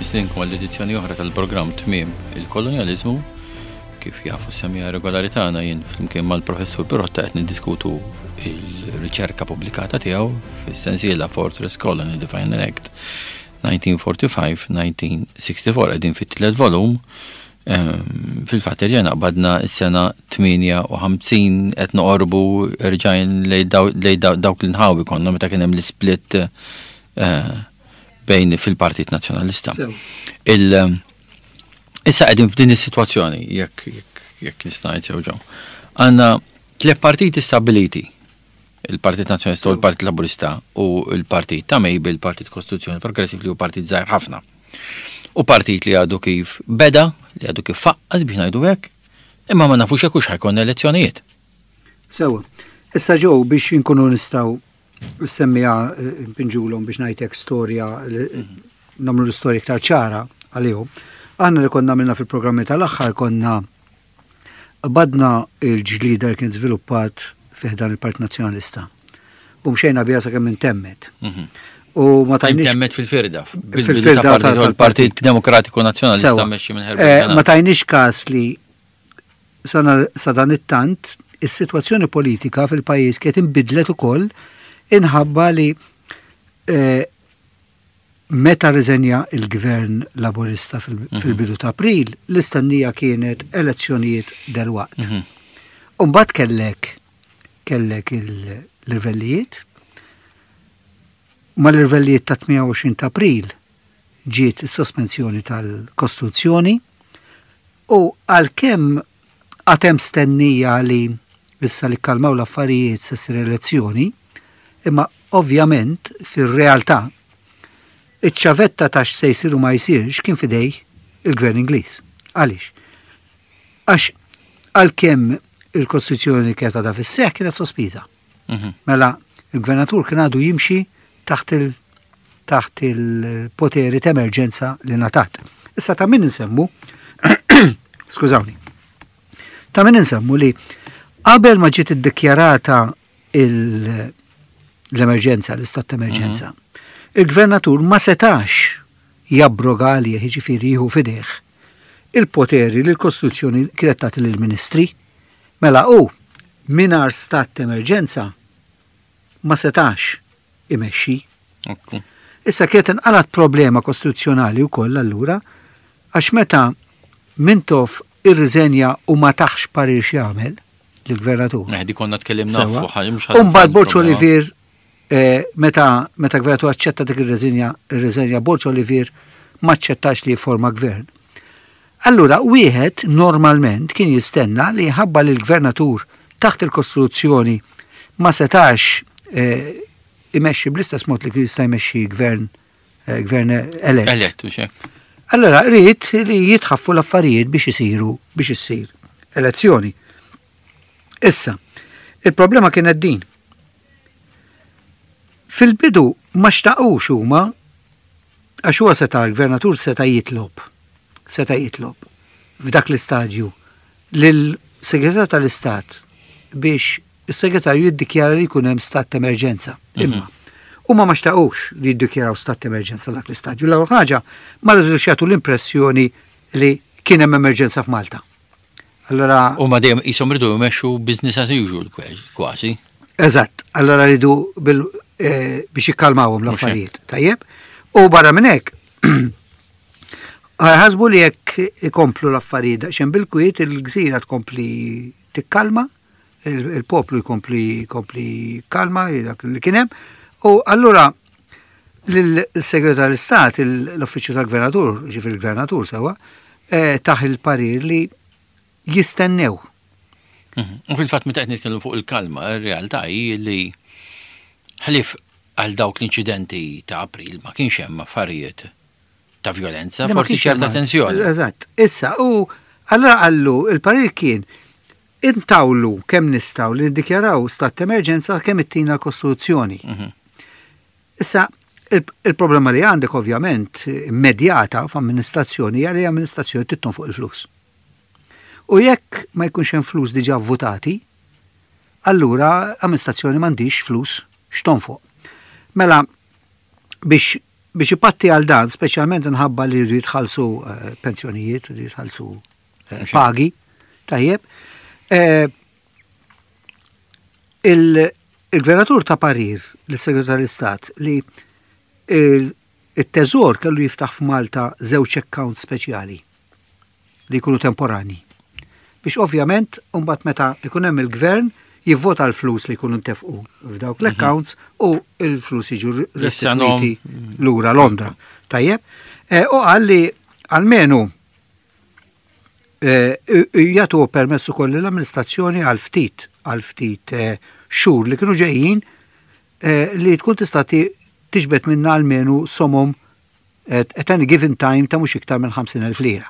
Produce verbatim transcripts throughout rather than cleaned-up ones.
Nistedinkom għall-edizzjoni oħra tal-programm Tmiem il-Kolonjaliżmu. Kif jafu s-semmiegħa regolari tagħna, jien flimkien mal-professur Pirotta qed niddiskutu il-riċerka pubblikata tiegħu fis-sensiela Fortress Colony: The Final Act elf disa' mija u erbgħa u erbgħin-elf disa' mija u sitta u erbgħin. Qegħdin fit-tielet volum. Ehm, Fil-fatt erġajna qbadna s-sena tmienja u ħamsin, qed noqorbu erġajn lej daw- lej daw- dawk l-inħawi konna meta kien hemm l-split eh, bejn fil-Partit Nazzjonalista. Sew. Il Issa qegħdin f'din is-sitwazzjoni, jekk jekk jekk nista' ngħid sew ġew. Għandna tliet partiti stabiliti: il-Partit Nazzjonalista u l-Partit Laburista u l-Partit ta' Mabel, il-Partit Kostituzzjoni Progressiv, li hu partit żgħir ħafna. U partit li għadu kif beda, li għadu kif faqqas biex ngħidu hekk, imma ma nafux jekk hux ħa jkollna elezzjonijiet. Sewa. Issa ġew biex inkunu nistgħu semmija npinġulhom biex ngħidlek storja li- nagħmlu l-istorja iktar ċara għalihom. Aħna li konna għamilna fil-programmi tal-aħħar, konna badna il-ġlida li kien żviluppat fi ħdan il-Partit Nazzjonalista. U mxejna biha sakemm intemmet. U ma tajniex Intemmet fil-firda. Fil-firda tal- tal-Partit Demokratiku Nazzjonalista Sewa. mmexxi minn Eh, Herbert Ma tajniex kas li sana sa dan it-tant is-sitwazzjoni politika fil-pajjiż kienet inbidlet ukoll inħabba li eh, meta riżenja il-gvern Laburista fil- fil-bidu ta' April, l-istennija kienet elezzjonijiet delwaqt. Mhm. Umbagħad kellek kellek il-irvellijiet, ma l-irvellijiet ta' tmienja u għoxrin ta' April ġiet is-sospensjoni tal-Kostituzzjoni u għalkemm għad hemm stennija li issa li kalmaw l-affarijiet se ssir elezzjoni, imma ovvjament fir-realtà iċ-ċavetta ta' x'se jsir u ma jsirx kien f'idejn il-gvern Ingliż. Għaliex? Għax għalkemm il-Kostituzzjoni kienet għadha fis-seħ, kienet sospiża. Mhm. Mela, il-gvernatur kien għadu jimxi taħt il- taħt il-poteri ta' emerġenza li ngħatat. Issa ta' min nsemmu, skużawni, ta' min nsemmu li qabel ma ġiet iddikjarata il- l-emerġenza, l-istat ta' emerġenza, il-gvernatur ma setax jabroga għalih, jiġifieri jieħu f'idejh il-poteri li l-Kostituzzjoni kienet tagħti lill-ministri. Mela u mingħajr stat ta' emerġenza ma setax imexxi. Ekku. Issa kienet inqalat problema kostituzzjonali wkoll allura, għax meta Mintoff irriżenja u ma taħx parir x'jagħmel lill-gvernatur. Eh, di konna tkellimna Sewa. fuq ħaġa, mhux U mbagħad Borg problema. Olivier, eh, meta meta gvernatur aċċetta dik ir-reżenja, ir-reżenja, Borg Olivier ma aċċettax li jforma gvern. Allura wieħed normalment kien jistenna li ħabba li l-gvernatur taħt il-Kostituzzjoni ma setax eh, imexxi bl-istess mod li kien jista' jmexxi gvern eh, gvern elett. Elett, u xek. Allora rrid li jitħaffu l-affarijiet biex isiru biex issir elezzjoni. Issa, il-problema kienet din. Fil-bidu ma xtaqux huma, għax huwa seta' l-gvernatur seta' jitlob, seta' jitlob f'dak l-istadju lil-segretarju tal-Istat biex is-segretarju jiddikjara li jkun hemm stat ta' emerġenza. Imma huma ma xtaqux li jiddikjaraw stat ta' emerġenza dak l-istadju. L-ewwel ħaġa, ma rridux jagħtu l-impressjoni li kien hemm emerġenza f'Malta. Allora U ma dejjem qishom ridu jmexxu business as usual kważi. Eżatt, allora ridu bil, eh, biex jikkalmawhom l-affarijiet. Tajjeb? U barra minn hekk, ħasbu li jekk ikomplu l-affarijiet daqsxejn bil-kwiet, il-gżira tkompli tikkalma, il- il-poplu jkompli jkompli kalma dak li kien hemm. U allura l-segretar tal-Istat, l-Uffiċċju tal-Gvernatur, ġifieri il-Gvernatur sewa, eh, taħ il-parir li jistennew. Mhm. U fil-fatt meta qed nitkellmu fuq il-kalma, ir-realtà hi li ħlief għal dawk l-inċidenti ta' April ma kienx hemm affarijiet ta' violenza, Li ma forsi kienx ċerta hemm- tensjoni. Eżatt. Issa, u allora qallu, il-parir kien intawlu kemm nistgħu li niddikjaraw stat ta' emerġenza kemm ittina l-Kostituzzjoni. Mhm. Issa, il- il-problema li għandek ovvjament immedjata f'amministrazzjoni hija li amministrazzjoni trid tonfoq il-flus. U jekk ma jkunx hemm flus diġà votati, allura amministrazzjoni m'għandix flus x'tonfoq. Mela biex Biex ipatti għal dan, speċjalment nħabba li jridu jitħallsu eh, pensjonijiet, jridu jitħallsu eh, pagi, tajjeb. Eh, il-gvernatur ta parir lis-segretarju tal-Istat li il-teżor kellu jiftaħ f'Malta żewġ accounts speċjali li jkunu temporani. Biex ovvjament, mbagħad meta ikun hemm il-gvern jivvota l-flus li jkunu ntefqu f'dawk l-accounts u l-flus jiġu restituiti lura Londra. Tajjeb, eh, u qal li almenu eh, jagħtu permessu kolli l-amministrazzjoni għal ftit għal ftit eh, xhur li kienu ġejjin li tkun tista' tiġbed minna almenu somom at any given time ta' mhux iktar minn ħamsin elf lira.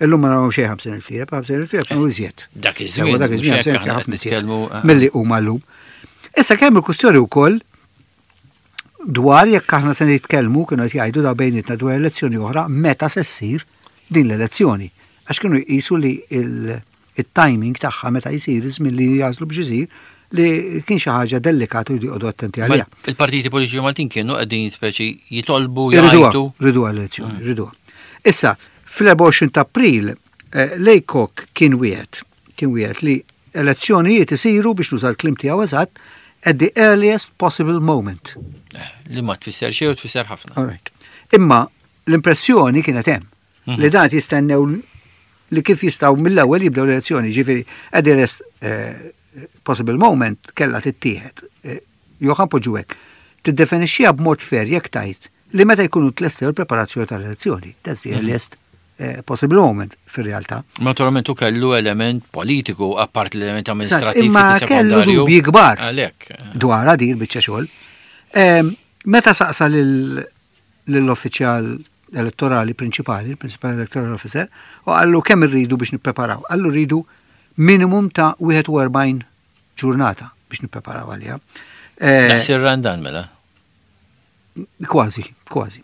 Illum ma nagħmlu xejn ħamsin elf lira, ħamsin elf lira kienu iżjed. Dak iż-żmien. Dak iż-żmien ħafna iżjed. Milli huma llum. Issa kemm il-kwistjoni wkoll dwar jekk aħna se nitkellmu, kienu qed jgħidu da bejnietna, dwar elezzjoni oħra, meta se ssir din l-elezzjoni. Għax kienu jqisu li il-timing tagħha meta jsir, iż-żmien li jażlu biex isir, li kien xi ħaġa delikatu jridu joqogħdu attenti għaliha. Il-partiti politiċi Maltin kienu qegħdin speċi jitolbu jgħidu. Riduha l-elezzjoni, riduha. Issa, fl-erbgħa u għoxrin ta' April, eh, Laycock kien wieħed, kien wieħed li elezzjonijiet isiru, biex nuża l-kliem tiegħu eżatt, at the earliest possible moment. Eh, li ma tfisser xejn u tfisser ħafna. All right. Imma l-impressjoni kienet hemm mhm. li dan jistennew li kif jistgħu mill-ewwel jibdew l-elezzjoni, ġifieri at the earliest eh, possible moment kella tittieħed. Jew ħa npoġġu hekk. Tiddefinixxiha b'mod fair jekk tajt li meta jkunu tlestew il-preparazzjoni tal-elezzjoni. That's the mhm. earliest eh, possible moment fir-realtà. Naturalment u kellu element politiku apart l-element amministrativ. Imma kellu dubji kbar. Dwar din biċċa xogħol. Meta saqsa lill-uffiċjal elettorali prinċipali, il-Principal Electoral Officer, u qallu kemm irridu biex nippreparaw. Qallu rridu minimum ta' wieħed u erbgħin ġurnata biex nippreparaw għaliha. Eh, Daqs ir-Randan mela. Kważi, kważi.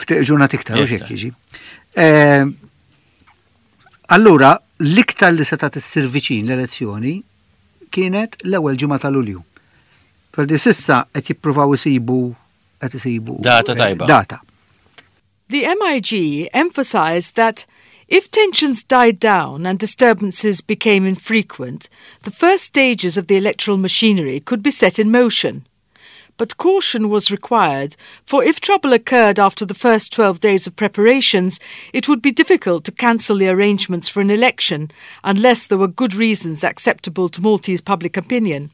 Ftit ġurnata iktar, u xek jiġi. Eh, allura, l-iktar li seta' issir viċin l-elezzjoni kienet l-ewwel ġimgħa ta' Lulju. Perdi s'issa qed jippruvaw isibu qed isibu data eh, tajba. Data. The M I G emphasized that if tensions died down and disturbances became infrequent, the first stages of the electoral machinery could be set in motion. But caution was required, for if trouble occurred after the first twelve days of preparations, it would be difficult to cancel the arrangements for an election unless there were good reasons acceptable to Maltese public opinion.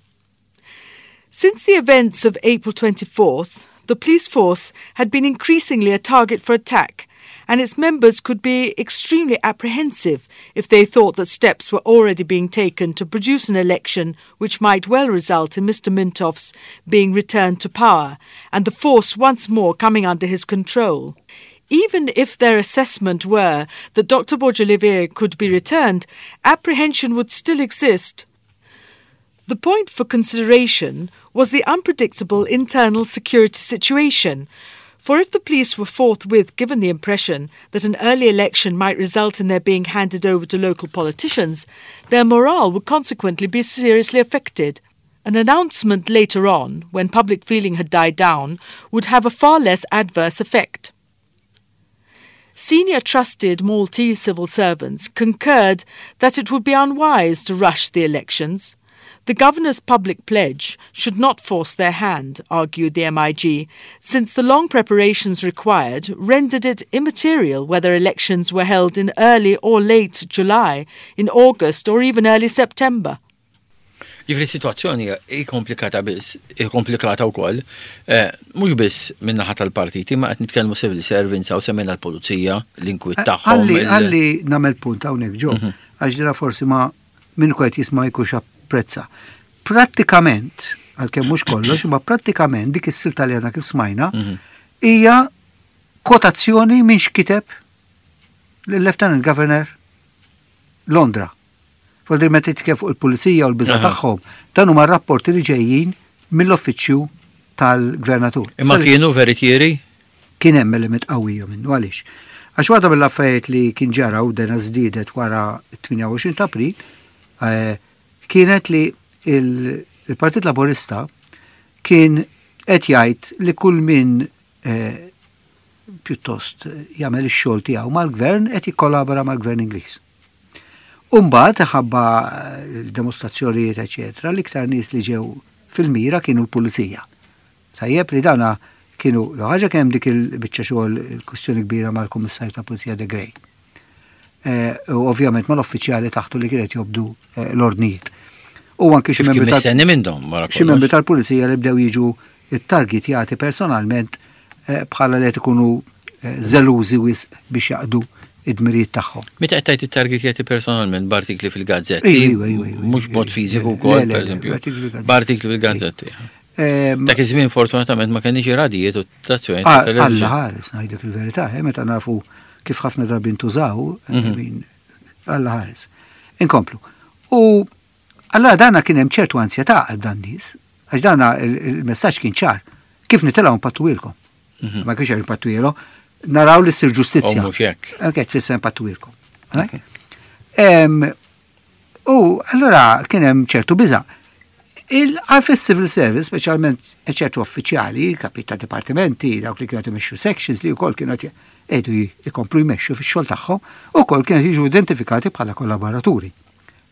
Since the events of April twenty-fourth, the police force had been increasingly a target for attack, and its members could be extremely apprehensive if they thought that steps were already being taken to produce an election which might well result in Mister Mintoff's being returned to power and the force once more coming under his control. Even if their assessment were that Doctor Borg Olivier could be returned, apprehension would still exist. The point for consideration was the unpredictable internal security situation, for if the police were forthwith given the impression that an early election might result in their being handed over to local politicians, their morale would consequently be seriously affected. An announcement later on, when public feeling had died down, would have a far less adverse effect. Senior trusted Maltese civil servants concurred that it would be unwise to rush the elections. The governor's public pledge should not force their hand, argued the M I G, since the long preparations required rendered it immaterial whether elections were held in early or late July, in August or even early September. Jiġifieri situazzjoni hi komplikata biss, hi komplikata wkoll, eh, mhux biss min-naħa tal-partiti, ma qed nitkellmu civil servants u semmejna l-pulizija, l-inkwiet tagħhom. Ħalli ħalli nagħmel punt hawnhekk ġo, għax dira forsi ma minn kwet jisma' jkunx apprezza. Prattikament, għalkemm mhux kollox, imma prattikament dik is-silta li għandna kif smajna hija kwotazzjoni minn x'kiteb l-Lieutenant Governor Londra. Vuoldir meta titkellem fuq il-pulizija u l-biża tagħhom, dan huma rapporti li ġejjin mill-uffiċċju tal-gvernatur. Imma kienu veritieri? Kien hemm element qawwija minnu, għaliex? Għax waħda mill-affarijiet li kien ġara u dena żdiedet wara t-tmienja u għoxrin ta' April eh, kienet li il-Partit Laburista kien qed jgħid li kull min eh, pjuttost jagħmel ix-xogħol tiegħu mal-gvern, qed jikkollabora mal-gvern Ingliż. Umbagħad ħabba dimostrazzjonijiet eċetera, l-iktar nies li ġew fil-mira kienu l-pulizija. Tajjeb li dana kienu l-ħaġa kemm dik il-biċċa xogħol, il-kwistjoni kbira mal-Kummissarju ta' Pulizija De Grey. Eh, u ovvjament mal-uffiċjali taħtu li kienet jobdu eh, l-ordnijiet. U anke xi membri xi membri tal-pulizija li bdew jiġu it-targetjati personalment eh, bħala li qed ikunu żelużi wisq biex jaqdu id-dmirijiet tagħhom. Meta qed tgħid it-targetjati personalment, b'artikli fil-gazzetti, mhux b'mod fiżiku wkoll, pereżempju, b'artikli fil-gazzetti. Dak iż-żmien fortunatament ma kenniex radijiet u stazzjoni ta' television. Alla ħares, ngħidlek il-verità, meta nafu kif ħafna drabi ntużaw, mhm. Alla ħares. Inkomplu. U allora dana kien hemm ċertu ansjetà għal dan nies, għax dana il-messaġġ kien ċar. Kif nitilgħu npattuilkom? Mhm. Ma kienx hemm pattuilu, naraw li ssir ġustizzja. Mhux hekk. Ok, tfisser npattuilkom. U allora kien hemm ċertu biża'. Il-fis-civil service, speċjalment ċertu uffiċjali, kapi ta' dipartimenti, dawk li kienu imexxu sections li wkoll kienu qegħdu jkomplu jmexxu fix-xogħol tagħhom, ukoll kienu jiġu identifikati bħala kollaboraturi.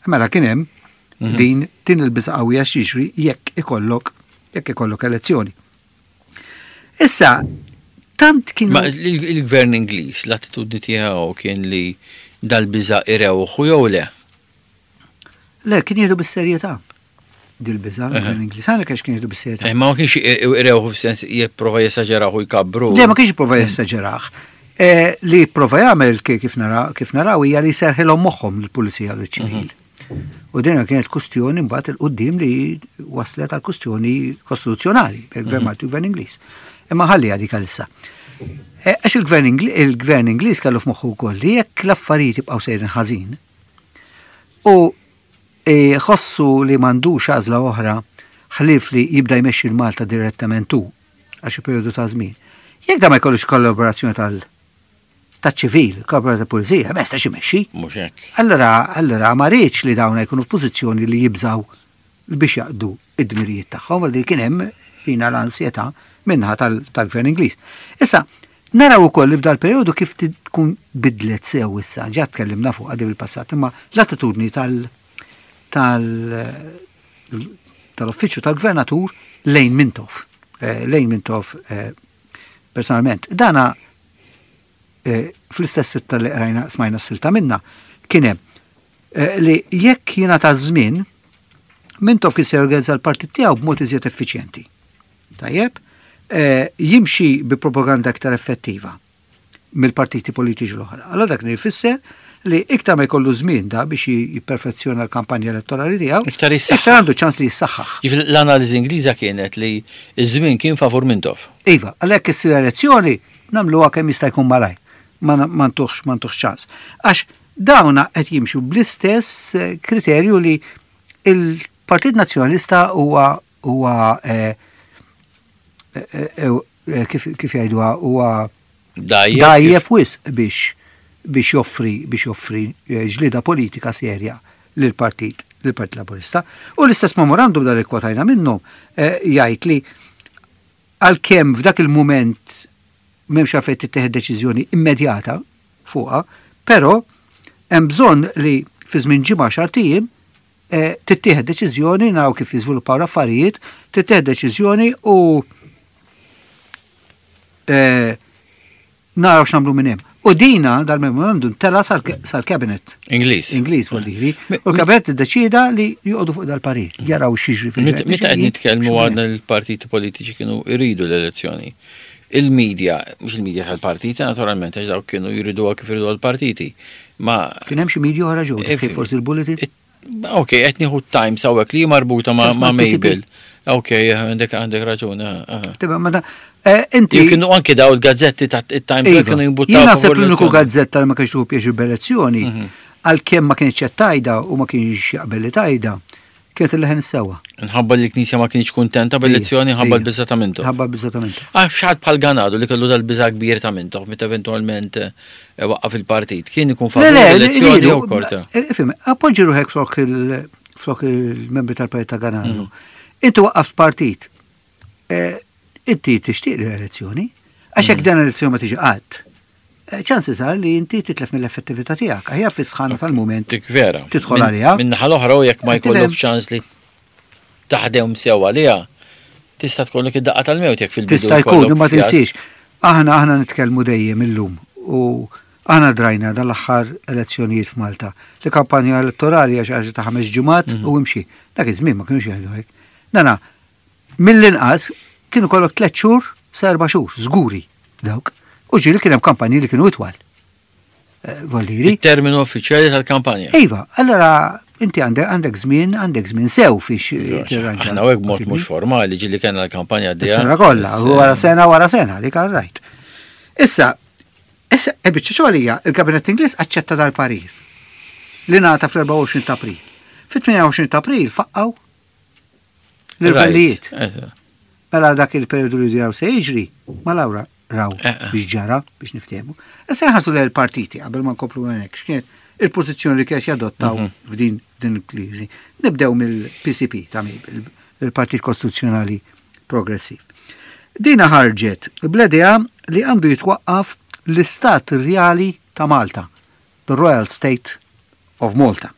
Mela kien hemm mhm. din din il-biża' qawwija x'jiġri jekk ikollok jekk ikollok elezzjoni. Issa, tant kien. Ma il-gvern Ingliż, l-attitudni tiegħu kien li dal-biża' irewħu jew le? Le, kien jieħdu bis-serjetà dil-biża' l-gvern Ingliż, għalhekk għax kien jieħdu bis-serjetà. Eh, ma kienx irewħu f'sens jipprova jesaġeraħ u jkabru. Le, ma kienx jipprova jesaġeraħ. Eh, li prova jagħmel kif kif naraw hija li serħilhom moħħhom l-pulizija u l-ċivil. Mhm. U dina kienet kustjoni mbagħad il-qudiem li waslet għal kustjoni kostituzzjonali bil-gvern mhm. Malti u gvern Ingliż. Imma ħalli għadik għalissa. Eh, għax il-gvern Ingliż kellu f'moħħu wkoll li jekk l-affarijiet jibqgħu sejrin ħażin u ħossu li m'għandux għażla oħra ħlief li jibda jmexxi l-Malta direttament hu għal xi perjodu ta' żmien. Jekk da ma jkollux kollaborazzjoni tal taċ-ċivil, kollaborazzjoni tal-pulizija, ma jistax imexxi. Mhux hekk. Allora, allora ma riedx li dawn jkunu f'pożizzjoni li jibżaw biex jaqdu id-dmirijiet tagħhom, għal kien hemm dina l-ansjetà minnaħa tal-gvern Ingliż. Issa, naraw ukoll li f'dal perjodu kif tkun bidlet sew issa, ġa tkellimna fuq għadib il-passat, imma l-attitudni tal- tal-uffiċċju tal-gvernatur lejn Mintoff. Eh, lejn Mintoff eh, personalment. Dana eh, fl-istess sitta li qrajna smajna s-silta minna kien hemm li jekk jingħata żmien, Mintoff kien se jorganizza l-partit tiegħu b'mod iżjed effiċjenti. Tajjeb, jimxi bi propaganda aktar effettiva mill-partiti politiċi l-oħra. Allora dak jfisser li iktar ma jkollu żmien da biex jipperfezzjona l-kampanja elettorali tiegħu, iktar jissaħħaħ. Iktar għandu ċans li jissaħħaħ. L-analiżi Ingliża kienet li ż-żmien kien favur Mintoff. Iva, għalhekk issir elezzjoni nagħmluha kemm jista' jkun malaj. Ma ntuħx ma ntuħx ċans. Għax dawna qed jimxu bl-istess eh, kriterju li il-Partit Nazzjonalista huwa huwa eh, eh, kif kif jgħiduha, huwa dajjef wisq biex biex joffri biex joffri ġlida politika serja lill-partit lill-Partit Laburista. U l-istess memorandum dal kwotajna minnu jgħid li għalkemm f'dak il-mument m'hemmx għalfejn tittieħed deċiżjoni immedjata fuqha, però hemm bżonn li fi żmien ġimgħa, xahar ijiem tittieħed deċiżjoni, naraw kif jiżviluppaw l-affarijiet, tittieħed deċiżjoni u naraw x'nagħmlu minn hemm. U dina dal-memorandum tela sal-cabinet. Ingliż. Ingliż vuol dire. U l-cabinet iddeċida li joqogħdu fuq dal-parir, jaraw x'jiġri fil Meta qed nitkellmu għadna l-partiti politiċi kienu jridu l-elezzjoni. Il-medja, mhux il-medja tal-partiti naturalment, għax dawk kienu jriduha kif iridu l-partiti. Ma kien hemm xi media oħra ġew, kif forsi l-Bulletin? Ok, qed nieħu Times hawnhekk li marbuta ma' Mabel. Ok, għandek għandek raġun. Inti. Kienu anke daw il-gazzetti ta' Times iva, kienu jimbuttaw. Jien naħseb l-uniku gazzetta li ma kienx tieħu pjaċir b'elezzjoni, mhm. għalkemm ma kienx qed tajda u ma kienx jaqbel li tajda, kienet il-leħen sewwa. Nħabba li l-Knisja ma kienx kuntenta bl-elezzjoni, ħabba l-biża' ta' Mintoff. Ħabba l-biża' ta' Mintoff. Ah, x'ħadd bħal Ganado li kellu dal-biża' kbir ta' Mintoff meta eventwalment eh, waqqaf il-partit. Kien ikun favur l-elezzjoni jew korta. Eh, ifhem, appoġġi ruħek flok il-membri tal-partit ta' Ganado. Mm. Inti waqqaft partit. Eh, inti tixtieq l-elezzjoni, Għax jekk dan l-elezzjoni ma tiġi qatt, eh, chances are li inti titlef mill-effettività tiegħek. Aħjar fi sħana tal-moment. Dik vera. Tidħol għaliha. Min naħa l-oħra u jekk ma Tifhem? jkollok ċans li taħdem sew għaliha, tista' tkollok id-daqqa tal-mewt jekk fil-bidu. Tista' jkun, jkollok imma fjask. tinsiex. Aħna aħna nitkellmu dejjem illum u aħna drajna dal-aħħar elezzjonijiet f'Malta. Li kampanja elettorali għax ħaġa ta' ħames ġimgħat u imxi. Dak iż-żmien ma kienux jgħidu hekk. Dana mill-inqas kienu kollok tliet xhur sa erba' xhur, żguri dawk. U ġieli kien hemm kampanji li kienu itwal. Eh, Voldiri. Il-terminu uffiċjali tal-kampanja. Iva, allora inti għandek għandek żmien, għandek żmien sew fiex tirranġa. Aħna hekk mod mhux formali ġieli kellna l-kampanja għaddejja. Is-sena kollha, wara sena wara sena, dik għal rajt. Issa, issa, e biċċa xogħol hija, il-Kabinett Ingliż aċċetta dal-parir li ngħata fl-erbgħa u għoxrin ta' April. Fit-tmienja u għoxrin ta' April faqqaw l-irvellijiet. Mela dak il-periodu li diraw se jiġri, ma lawra raw Eh, eh. biex ġara biex niftehmu. Issa nħarsu lejn il-partiti qabel ma nkomplu hekk x'kienet il-pożizzjoni li kienet jadottaw Mhm. f'din din il-kriżi. Nibdew mill-P C P ta' il- il-Partit Kostituzzjonali Progressiv. Dina ħarġet bl-idea li għandu jitwaqqaf l-Istat Reali ta' Malta, the Royal State of Malta.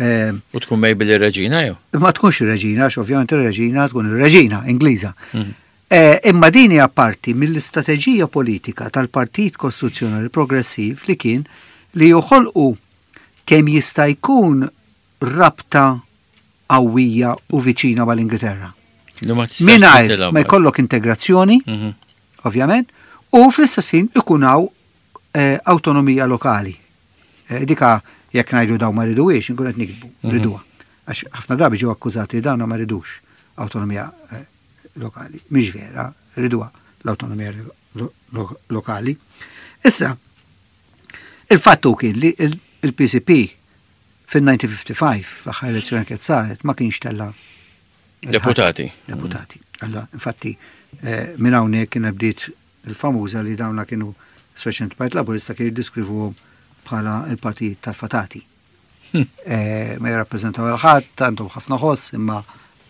Eh, U tkun Mabel ir-reġina jew? Ma tkunx ir-reġina, għax ovvjament ir-reġina tkun ir-reġina Ingliża. Mhm. Eh, imma din hija parti mill-istrateġija politika tal-Partit Kostituzzjonali Progressiv li kien li joħolqu kemm jista' jkun rabta qawwija u viċina mal-Ingilterra. Li ma tistax Mingħajr titilgħu ma jkollok integrazzjoni, Mhm. ovvjament, u fl-istess ħin ikun hawn eh, awtonomija lokali. Eh, dika jekk ngħidu daw ma riduwiex, inkun qed nikdbu, Mhm. riduha. Għax ħafna drabi ġew akkużati li dawn ma ridux awtonomija eh, lokali. Mhix vera, riduha l-awtonomija lo- lo- lokali. Issa, il-fattu kien li il- il-P C P fil-elf disa' mija u ħamsa u ħamsin, fl-aħħar elezzjoni kienet saret, ma kienx tella Deputati. Deputati. Alla, infatti, eh, minn hawnhekk kien bdiet il-famuża li dawna kienu speċjalment Partit Laburista kienu jiddeskrivuhom bħala il-partit tal-fatati. Hmm. Eh, ma jirrappreżentaw il-ħadd, għandhom ħafna ħoss, imma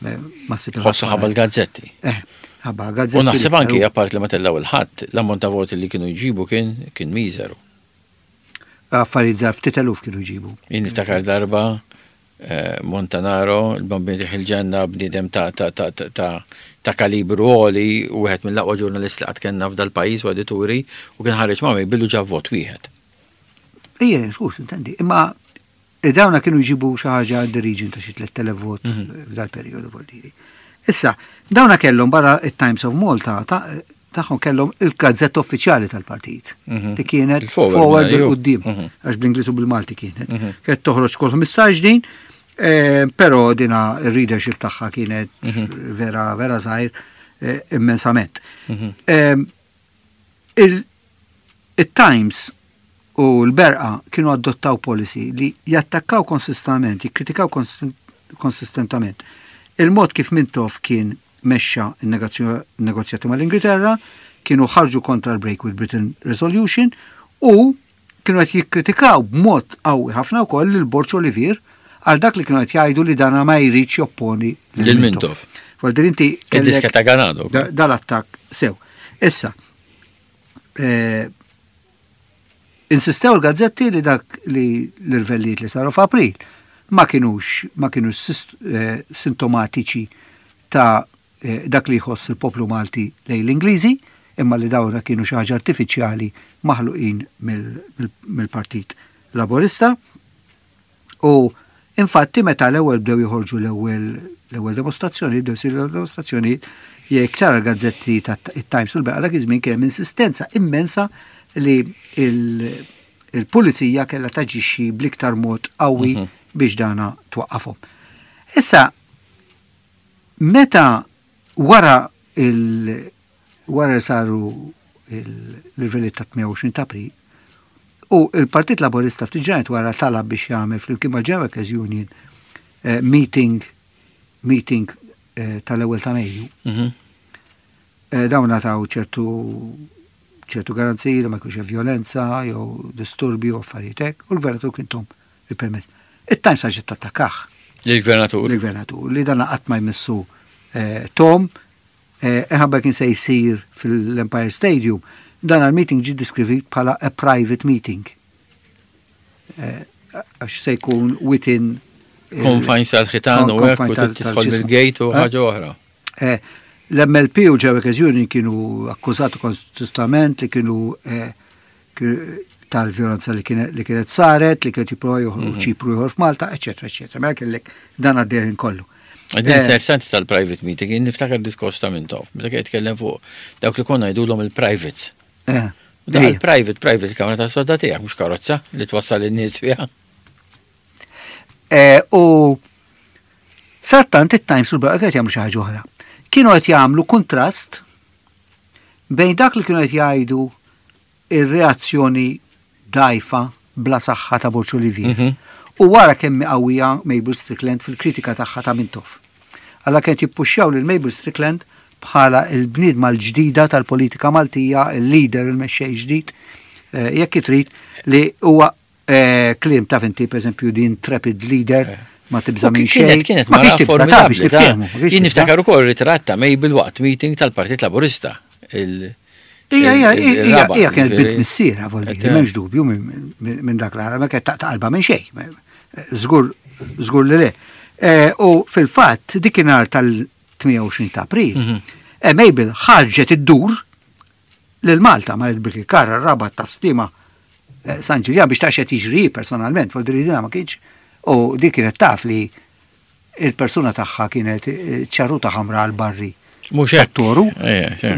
eh, ma ssib Ħossu ħabba l-gazzetti. Eh, ħabba gazzetti. U naħseb li anki kienu apart li ma tellaw il-ħadd, l-ammont ta' voti li kienu jġibu kien kien miżeru. Affarijiet żgħar, ftit eluf kienu jġibu. Jien niftakar darba eh, Montanaro, il-Bambin il-ġenna, bniedem ta' ta' ta' ta' ta' ta' kalibru għoli u wieħed mill-aqwa ġurnalist li qatt kellna f'dal pajjiż u edituri u kien ħareġ ma' billu ġab vot wieħed. Ejja, skus, intendi. Imma dawna kienu jġibu xi ħaġa in the region ta' xi tliet elef vot Mhm. f'dal periodu voldiri. Issa, dawna kellhom barra it-Times of Malta, ta- tagħhom kellhom il-gazzetta uffiċjali tal-partit Mhm. li kienet Il-Forward, Forward ju. il-quddiem, Mhm. għax bl-Ingliż u bil-Malti kienet. Mhm. Kienet toħroġ kull ħmistax din, eh, però dina il-readership tagħha kienet Mhm. vera vera żgħir eh, immensament. Mhm. Em, il- Il-Times u l-Berqa kienu adottaw policy li jattakkaw konsistentament, jikkritikaw konsist- konsistentament il-mod kif Mintoff kien mexxa il-negozjati mal-Ingilterra, kienu ħarġu kontra l-Break with Britain Resolution u kienu qed jikkritikaw b'mod qawwi ħafna wkoll lil Borg Olivier għal dak li kienu qed jgħidu li dana ma jridx jopponi Lil Mintoff. Voldiri inti Id-diska kellek ta' Ganado. da- dal-attakk sew. Issa, eh, insistew l-gazzetti li dak li l-irvellijiet li saru f'April ma kienux ma kienux sist- eh, sintomatiċi ta' eh, dak li jħoss il-poplu Malti lejn l-Ingliżi, imma li dawra kienu xi ħaġa artifiċjali maħluqin mill- mill- mill-Partit Laburista. U infatti meta l-ewwel bdew joħorġu l-ewwel l-ewwel dimostrazzjoni, bdew isiru dimostrazzjoni, jekk tara l-gazzetti tat-Times u l-Berqa dak iż-żmien kien hemm insistenza immensa li il- il-pulizija kellha taġixxi bl-iktar mod qawwi Mhm. biex dana twaqqafhom. Issa, meta wara il wara li saru l-irvelliet ta' tmienja u għoxrin ta' April, u il-Partit Laburista ftit ġranet wara talab biex jagħmel flimkien mal-General Workers Union eh, meeting meeting eh, tal-ewwel ta' Mejju. Mhm. Eh, dawn taw ċertu ċertu garanziji li ma jkunx hemm violenza jew disturbi u affarijiet hekk, u l-gvernatur kien tahom il-permess. It-Times ħaġa tattakah Lill-gvernatur. l-gvernatur li dan qatt ma jmissu eh, Tom Ħabba kien se jsir fil-Empire Stadium, dan il-meeting ġi described bħala a private meeting. Eh, għax se jkun within confines tal-ħitan u hekk u tidħol mill-gate u ħaġa oħra. Eh, L-M L P u Workers Union kienu akkużati konsistament li kienu eh, tal-violenza li kienet saret, li kienet jipprova joħolqu mhm. Ċipru ieħor f'Malta, eċetera, eċetera. Mela kellek dan għaddejn kollu. Din eh, interessanti tal-private meeting, jien niftakar diskors ta' Mintoff, meta kien jitkellem fuq dawk li konna jgħidulhom il-privates. Eh, da il-private, private kamra ta' sodda tiegħek, mhux karozza li twassal in-nies fiha. Eh, u sadanittant it-Times u l-Braqqa qed jagħmlu xi ħaġa oħra. Kienu qed jagħmlu kontrast bejn dak li kienu qed jgħidu ir-reazzjoni dajfa bla saħħa ta' Borg Olivier. Mhm. U wara kemm qawwija Mabel Strickland fil-kritika tagħha ta' Mintoff. Alla kienet jippuxxjaw lil Mabel Strickland bħala il-bniedma l-ġdida tal-politika Maltija, il-leader, il-mexxej ġdid, eh, jekk trid li huwa eh, kliem ta' finti, per eżempju, din intrepid leader, eh. ma tibża minn xejn. Kienet ma kienx tibża ta' biex niftehmu. Jien niftakar ukoll ritratt ta' Mabel waqt meeting tal-Partit Laburista. Ija, ija, ija, ija kienet bint missiera, vuol dire, m'hemmx dubju minn dak l ma kienet taqta' qalba minn xejn. Żgur, żgur li le. U fil-fatt, dikinhar tal-tmienja u għoxrin ta' April, mhm. Mabel ħarġet id-dur lil Malta ma il-Birkirkara, Rabat, Tas-Sliema, San Ġiljan biex tara x'jiġri personalment, vuol dire ma kienx. U dik kienet taf li il-persuna tagħha kienet ċarruta ħamra għal barri. Mhux hekk. Toru.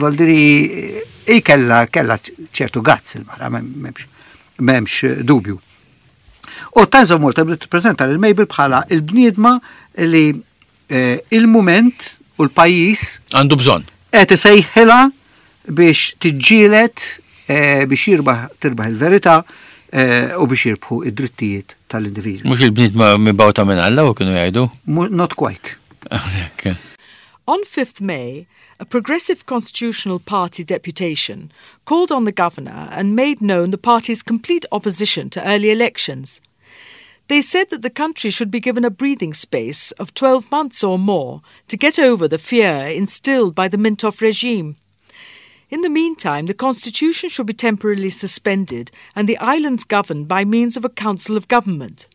Vuol dire i kella kella ċertu guts il-mara, m'hemmx dubju. U Times of Malta bdiet tippreżenta lil Mabel bħala il-bniedma li eh, il-moment u l-pajjiż għandu bżonn. Qed isejħilha biex tiġġielet eh, biex jirbaħ tirbaħ il-verità eh, u biex jirbħu id-drittijiet tal-individwi. Mhux il-bniedma mibgħuta minn Alla u kienu jgħidu? Not quite. On fifth May, a Progressive Constitutional Party deputation called on the governor and made known the party's complete opposition to early elections. They said that the country should be given a breathing space of twelve months or more to get over the fear instilled by the Mintoff regime. In the meantime, the constitution should be temporarily suspended and the islands governed by means of a council of government.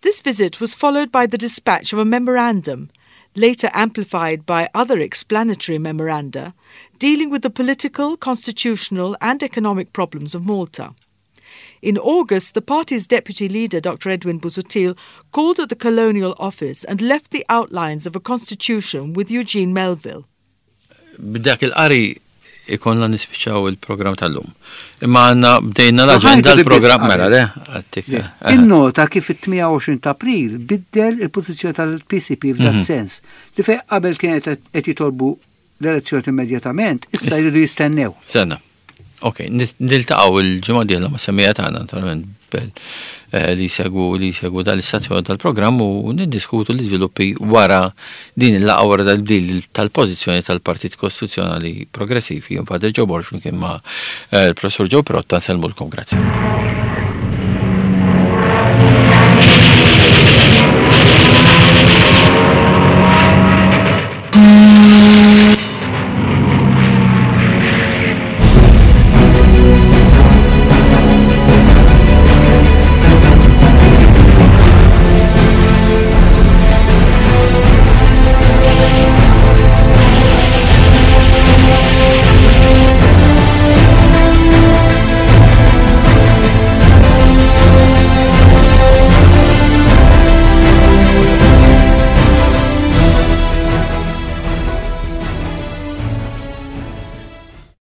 This visit was followed by the dispatch of a memorandum, later amplified by other explanatory memoranda, dealing with the political, constitutional, and economic problems of Malta. In August, the party's deputy leader, Doctor Edwin Busuttil, called at the Colonial Office and left the outlines of a constitution with Eugene Melville. B'dak il-qari ikollna nispiċċaw il-programm tal-lum. Imma għandna bdejna l-aġenda l-programm mela le? Għattik. Innota kif it-tmienja u għoxrin ta' April biddel il-pożizzjoni tal-P C P f'dat mhm. sens li fej qabel kienet qed jitolbu l-elezzjoni immedjatament, issa jridu jistennew. Sena. Ok, niltaqgħu il-ġimgħa dieħla ma' semmiegħa tagħna naturalment eh, li segwu li segwu dal-istazzjoni tal-programm u niddiskutu l-iżviluppi wara din il-laqgħa, wara dal-bdil tal-pożizzjoni tal-Partit Kostituzzjonali Progressiv. Jien Padre Joe Borg flimkien ma' eh, il-Professur Joe Pirotta nsellmulkom, grazzi.